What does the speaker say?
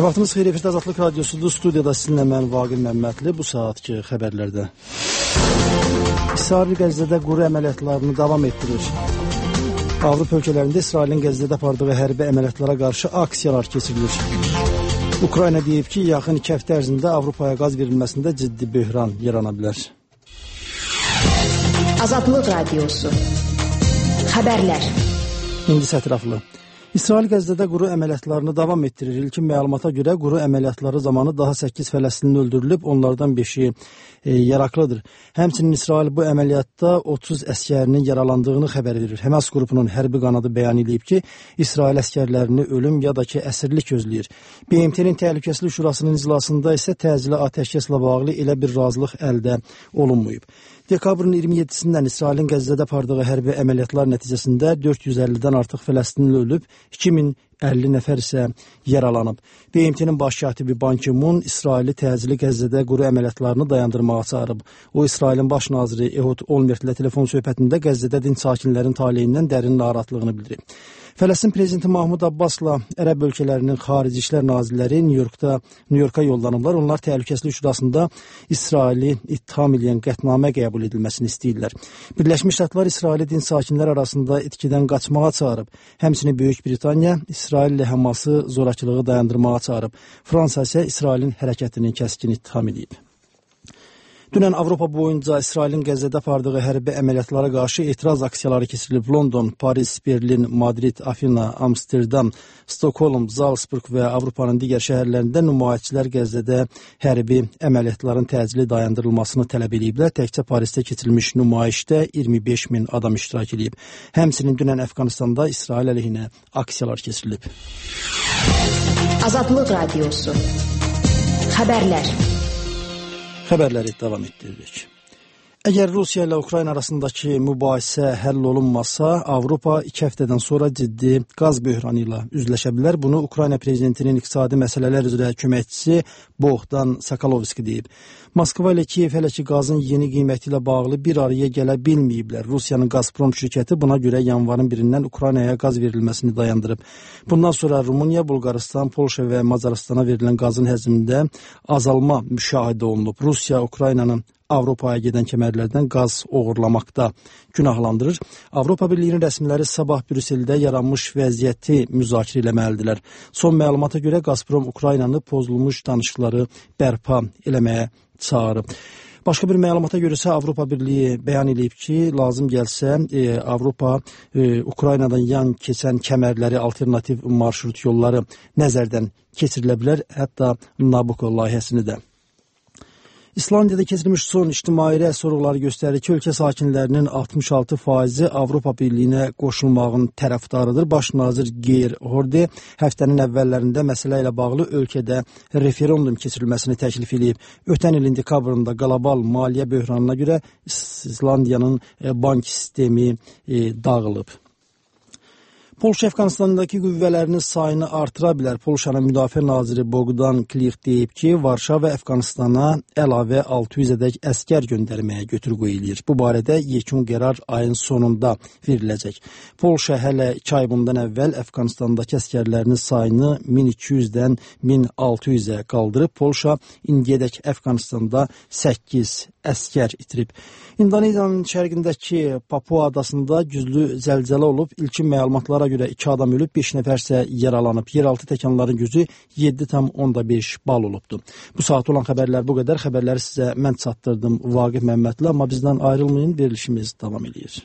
Vaxtımız xeyir, efirdə Azadlıq Radiosudur. Studiyada sizinlə mən Vaqif Məmmədli. Bu saatki xəbərlərdə İsrail Qəzzədə quru əməliyyatlarını davam etdirir. Avropa ölkələrində İsrailin Qəzzədə apardığı hərbi əməliyyatlara qarşı aksiyalar keçirilir. Ukrayna deyib ki, yaxın 2 həftə ərzində Avropaya qaz verilməsində ciddi böhran yarana bilər. Azadlıq Radiosu xəbərlər. İndi sətiraflı. İsrail Qəzzədə quru əməliyyatlarını davam etdirir. İlkin məlumata görə quru əməliyyatları zamanı daha 8 Fələstinli öldürülüb, onlardan 5-i yaraqlıdır. Həmçinin İsrail bu əməliyyatda 30 əskərinin yaralandığını xəbər verir. Həmas qrupunun hərbi qanadı bəyan edib ki, İsrail əskərlərini ölüm ya da ki, əsirlik gözləyir. BMT-nin Təhlükəsizlik Şurasının iclasında isə təcili atəşkəslə bağlı elə bir razılıq əldə olunmayıb. Dekabrın 27-sindən İsrailin Qəzzədə apardığı hərbi əməliyyatlar nəticəsində 450-dən artıq Fələstinli ölüb, 2050 nəfər isə yaralanıb. BMT-nin baş katibi Ban Ki-mun İsraili təcili Qəzzədə quru əməliyyatlarını dayandırmağa çağırıb. O, İsrailin baş naziri Ehud Olmert ilə telefon söhbətində Qəzzədə dinc sakinlərin taleyindən dərin narahatlığını bildirib. Fələstin prezidenti Mahmud Abbasla ərəb ölkələrinin xarici işlər nazirləri Nyu-Yorka yollanıblar. Onlar Təhlükəsizlik Şurasında İsraili ittiham edən qətnamə qəbul edilməsini istəyirlər. Birləşmiş Ştatlar İsraili dinc sakinlər arasında itkidən qaçmağa çağırıb. Həmçinin Böyük Britaniya İsraillə Həması zorakılığı dayandırmağa çağırıb. Fransa isə İsrailin hərəkətini kəskin ittiham edib. Dünən Avropa boyunca İsrailin Qəzzədə apardığı hərbi əməliyyatlara qarşı etiraz aksiyaları keçirilib. London, Paris, Berlin, Madrid, Afina, Amsterdam, Stockholm, Salzburg və Avropanın digər şəhərlərində nümayişçilər Qəzzədə hərbi əməliyyatların təcili dayandırılmasını tələb ediblər. Təkcə Parisdə keçirilmiş nümayişdə 25 min adam iştirak edib. Həmçinin dünən Əfqanistanda İsrail əleyhinə aksiyalar keçirilib. Azadlıq Radiosu xəbərlər. Xəbərləri davam etdiririk. Əgər Rusiya ilə Ukrayna arasındakı mübahisə həll olunmasa, Avropa 2 həftədən sonra ciddi qaz böhranı ilə üzləşə bilər. Bunu Ukrayna prezidentinin iqtisadi məsələlər üzrə köməkçisi Bohdan Sakalovski deyib. Moskva ilə Kiyev hələ ki qazın yeni qiyməti ilə bağlı bir araya gələ bilməyiblər. Rusiyanın Gazprom şirkəti buna görə yanvarın 1-dən Ukraynaya qaz verilməsini dayandırıb. Bundan sonra Rumıniya, Bulqaristan, Polşa və Macaristana verilən qazın həcmində azalma müşahidə olunub. Rusiya Ukraynanın Avropaya gedən kəmərlərdən qaz oğurlamaqda günahlandırır. Avropa Birliyinin rəsmiləri sabah Brüsseldə yaranmış vəziyyəti müzakirə eləməlidirlər. Son məlumata görə Gazprom Ukraynanı pozulmuş danışıqları bərpa eləməyə çağırıb. Başqa bir məlumata görə isə Avropa Birliyi bəyan edib ki, lazım gəlsə Avropa Ukraynadan yan keçən kəmərləri, alternativ marşrut yolları nəzərdən keçirilə bilər, hətta Nabucco layihəsini də. İslandiyada keçirilmiş son ictimai rəy sorğuları göstərir ki, ölkə sakinlərinin 66%-i Avropa Birliyinə qoşulmağın tərəfdarıdır. Baş nazir Geir Horde həftənin əvvəllərində məsələ ilə bağlı ölkədə referendum keçirilməsini təklif edib. Ötən ilin dekabrında qlobal maliyyə böhranına görə İslandiyanın bank sistemi dağılıb. Polşa Əfqanistandakı qüvvələrinin sayını artıra bilər. Polşanın müdafiə naziri Bogdan Klich deyib ki, Varşava Əfqanistana əlavə 600-ədək əskər göndərməyə götür-qoy eləyir. Bu barədə yekun qərar ayın sonunda veriləcək. Polşa hələ 2 ay bundan əvvəl Əfqanistandakı əskərlərinin sayını 1200-dən 1600-ə qaldırıb. Polşa indiyədək Əfqanistanda 8 əskər itirib. İndoneziyanın şərqindəki Papua adasında güclü zəlzələ olub. İlkin məlumatlara görə 2 adam ölüb, 5 nəfər isə yaralanıb. Yeraltı təkanların gücü 7,5 bal olubdur. Bu saat olan xəbərlər bu qədər. Xəbərləri sizə mən çatdırdım Vaqif Məmmədli, amma bizdən ayrılmayın, verilişimiz davam edir.